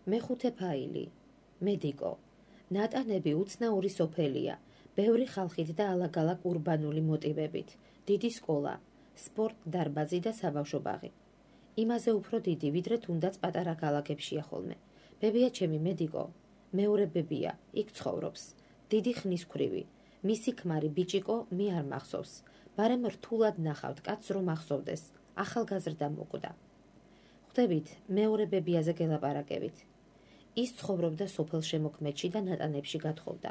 მეხუთე ფაილი. მედიკო. ნატანები უცნაური სოფელია, ბევრი ხალხით და ალაგ-ალაგ ურბანული მოტივებით, დიდი სკოლა, სპორტ დარბაზი და საბავშვო ბაღი. იმაზე უფრო დიდი, ვიდრე თუნდაც პატარა ქალაქებშია ხოლმე. ბებია ჩემი მედიკო, მეორე ბებია, იქ ცხოვრობს, დიდი ხნისქვრივი, მისი ქმარი ბიჭიკო მე არ მახსოვს, ბარემ რთულად ნახავთ კაცს რომ ახსოვდეს, ახალგაზრდა მოკვდა. ხვდებით, მეორე ბებიაზე გელაპარაკებით. ის ცხოვრობდა სოფელ შემოქმედში და ნატანებში გათხოვდა.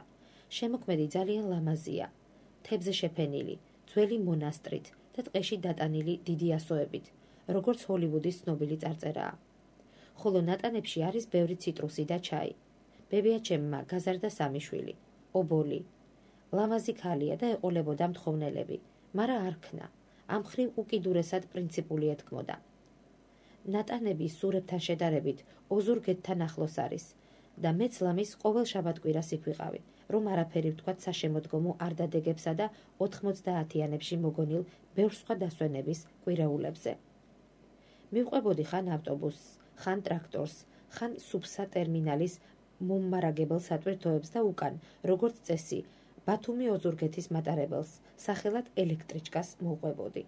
შემოქმედი ძალიან ლამაზია, თებზე შეფენილი, ძველი მონასტრით და ტყეში დატანილი დიდი ასოებით, როგორც ჰოლივუდის ცნობილი წარწერაა. ხოლო ნატანებში არის ბევრი ციტრუსი და ჩაი. ბებია ჩემმა გაზარდა 3 შვილი, ობოლი. ლამაზი ქალია და ეყოლებოდა მთხოვნელები, მარა არ ქნა, ამ ხრივ უკიდურესად პრინციპული ეთქმოდა. ნატანები სურებთან შედარებით ოზურგეთთან ახლოს არის და მეც ლამის ყოველ შაბათ-კვირას იქ ვიყავი, რომ არაფერი ვთქვათ საშემოდგომო არ დადეგებსა და 90-იანებში მოგონილ ბევრ სხვა დასვენების კვირეულებზე. მივყვებოდი ხან ავტობუსს, ხან ტრაქტორს, ხან სუფსა ტერმინალის მომმარაგებელ სატვირთოებს და უკან, როგორც წესი, ბათუმი ოზურგეთის მატარებელს, სახელად ელექტრიჩკას მოვყვებოდი.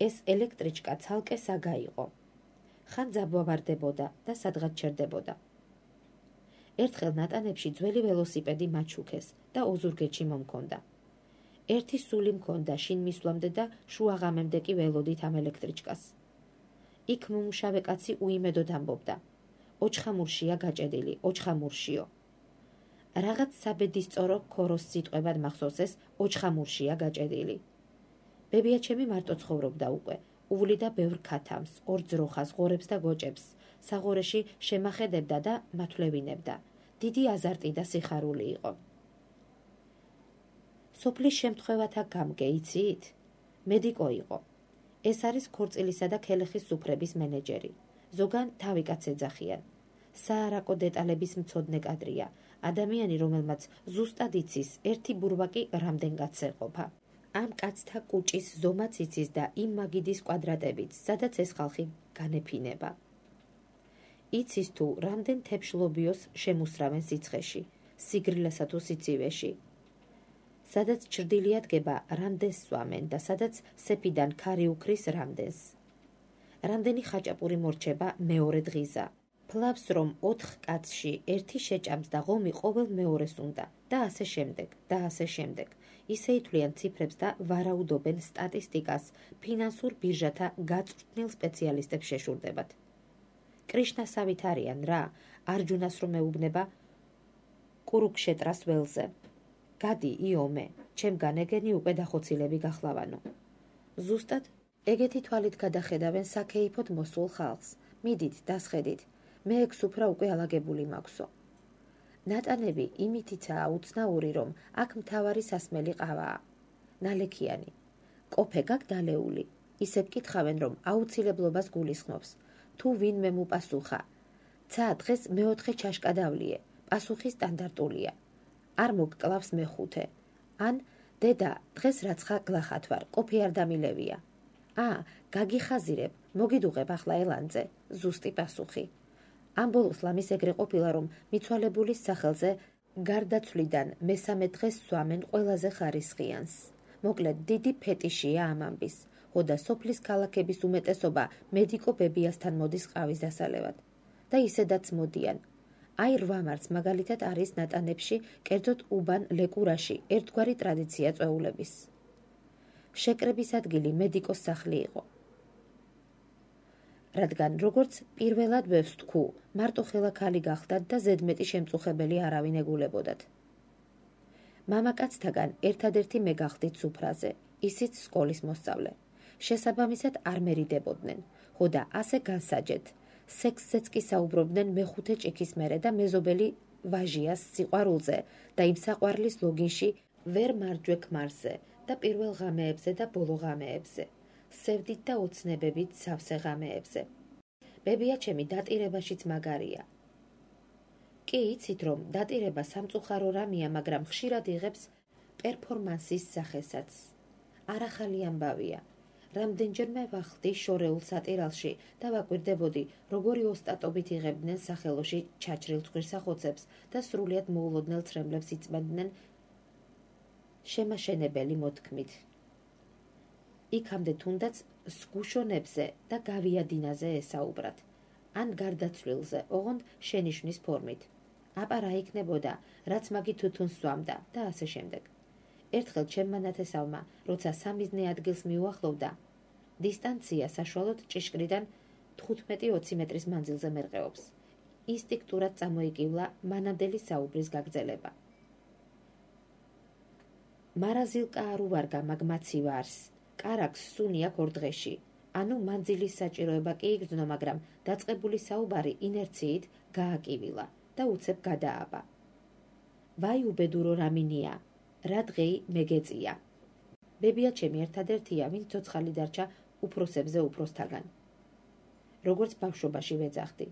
ეს ელექტრიჩკა ცალკე საგა იყო. ხან ძაბვავარდებოდა და სადღაც ჩერდებოდა. ერთხელ ნატანებში ძველი ველოსიპედი მაჩუქეს და ოზურგეთში მომქონდა. ერთი სული მქონდა შინ მისვლამდე და შუაღამემდე კი ველოდით ამ ელექტრიჩკას. იქ მომუშავე კაცი უიმედოდ ამბობდა. ოჩხამურშია გაჭედილი, ოჩხამურშიო. რაღაც საბედისწორო ქოროს სიტყვებად მახსოვს ეს ოჩხამურშია გაჭედილი. ბებია ჩემი მარტო ცხოვრობდა უკვე, უვლიდა ბევრ ქათამს, ორ ძროხას, ღორებს და გოჭებს, საღორეში შემახედებდა და მათვლევინებდა. დიდი აზარტი და სიხარული იყო. სოფლის შემთხვევათა გამგე იცით? მედიკო იყო. ეს არის ქორწილისა და ქელეხის სუფრების მენეჯერი. ზოგან თავი კაც ეძახიან. საარაკო დეტალების მცოდნე კადრია, ადამიანი რომელმაც ზუსტად იცის ერთი ბურვაკი რამდენ კაცს ეყოფა. ამ კაცთა კუჭის ზომაც იცის და იმ მაგიდის კვადრატებით, სადაც ეს ხალხი განეფინება. იცის თუ რამდენ თეფშლობიოს შემუსრავენ სიცხეში, სიგრილესა თუ სიცივეში. სადაც ჩრდილი ადგება, რამდენს სვამენ და სადაც სეფიდან ქარი უქრის რამდენს. რამდენი ხაჭაპური მორჩება მეორე დღიზა. ფლავს რომ 4 კაცში ერთი შეჭამს და ღომი ყოველ მეორეს უნდა და ასე შემდეგ და ასე შემდეგ. ისე ითვლიან ციფრებს და ვარაუდობენ სტატისტიკას ფინანსურ ბირჟათა გაწვრთნილ სპეციალისტებს შეშურდებათ. კრიშნასავით არიან რა, არჯუნას რომ ეუბნება კურუქშეტრას ველზე. გადი იომე, ჩემგან ეგენი უკვე დახოცილები გახლავანო. ზუსტად ეგეთი თვალით გადახედავენ საქეიფოდ მოსულ ხალხს. მიდით, დასხედით, მე ეგ სუფრა უკვე ალაგებული მაქვსო. ნატანები იმითიცაა უცნაური, რომ აქ მთავარი სასმელი ყავაა. ნალექიანი. კოფე გაკ დალეული. ისე გკითხავენ, რომ აუცილებლობას გულისხმობს. თუ ვინმე მუპასუხა. ცა დღეს მეოთხე ჩაშკა დავლიე. პასუხი სტანდარტულია. არ მოგკლავს მეხუთე. ან დედა, დღეს რაცხა გლახათ ვარ, კოფე არ დამილევია. გაგიხაზირებ, მოგიდუღებ ახლა ელანძე, ზუსტი პასუხი. ამ ბოლოს ლამის ეგრე ყოფილა, რომ მიცვალებულის სახელზე გარდაცვლიდან მესამე დღეს სვამენ ყველაზე ხარისხიანს. მოკლედ, დიდი ფეტიშია ამ ამბის. ხოდა სოფლის ქალაქების უმეტესობა მედიკო ბებიასთან მოდის ყავის დასალევად. და ისედაც მოდიან. აი 8 მარტს მაგალითად არის ნატანებში, კერძოდ უბან ლეკურაში, ერთგვარი ტრადიცია წვეულების. შეკრების ადგილი მედიკოს სახლი იყო. რადგან როგორც პირველად ბევრს თქვუ, მარტო ხელა ქალი გახდათ და ზედმეტი შემწუხებელი არავინ ეგულებოდათ. მამაკაცთაგან ერთადერთი მე გახდით სუფრაზე, ისიც სკოლის მოსწავლე. შესაბამისად არ მერიდებოდნენ, ხოდა ასე განსაჯეთ. სექსზეც კი საუბრობდნენ მეხუთე ჭიქის მერე და მეზობელი ვაჟიას სიყვარულზე და იმ საყვარლის ლოგინში ვერ მარჯვე ქმარზე და პირველ ღამეებზე და ბოლო ღამეებზე. სევდით და ოცნებებით სავსე ღამეებზე. ბებია ჩემი დატირებაშიც მაგარია. კი იცით რომ დატირება სამწუხარო რამეა, მაგრამ ხშირად იღებს პერფორმანსის სახესაც. არ ახალი ამბავია. რამდენჯერმე ვახდი შორეულ სატირალში და ვაკვირდებოდი, როგორი ოსტატობით იღებდნენ სახელოში ჩაჭრილ ცხვირსახოცებს და სრულიად მოულოდნელ ცრემლებს იწმენდნენ შემაშენებელი მოთქმით. იქამდე თუნდაც სგუშონებზე და გავიადინაზე ესაუბრათ, ან გარდაცვლილზე, ოღონდ შენიშვნის ფორმით. აბა რა იქნებოდა, რაც მაგი თუთუნს სვამდა და ასე შემდეგ. ერთხელ ჩემმა ნათესავმა, როცა სამიზნე ადგილს მიუახლოვდა, დისტანცია საშუალოდ ჭიშკრიდან 15-20 მეტრის მანძილზე მერყეობს. ინსტინქტურად წამოიკივლა მანამდელი საუბრის გაგრძელება. მარაზილკა არ უვარგა მაგ მაცივარს, კარაქს სუნი აქ 2 დღეში. ანუ მანძილის საჭიროება კი იგრძნო, მაგრამ დაწყებული საუბარი ინერციით გააკივილა და უცებ გადააბა. ვაი უბედურო რამინია, რა დღეი მეგეწია. ბებია ჩემი ერთადერთია, ვინც ცოცხალი დარჩა უფროსებზე უფროსთაგან. როგორც ბავშვობაში ვეძახდი.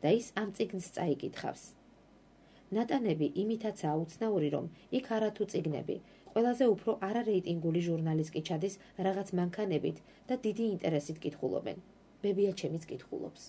და ის ამ წიგნს წაიკითხავს. ნატანები იმითაცაა უცნაური, რომ იქ არათუ წიგნები, ყველაზე უფრო არარეიტინგული ჟურნალის კი ჩადის რაღაც მანქანებით და დიდი ინტერესით კითხულობენ. ბებია ჩემიც კითხულობს.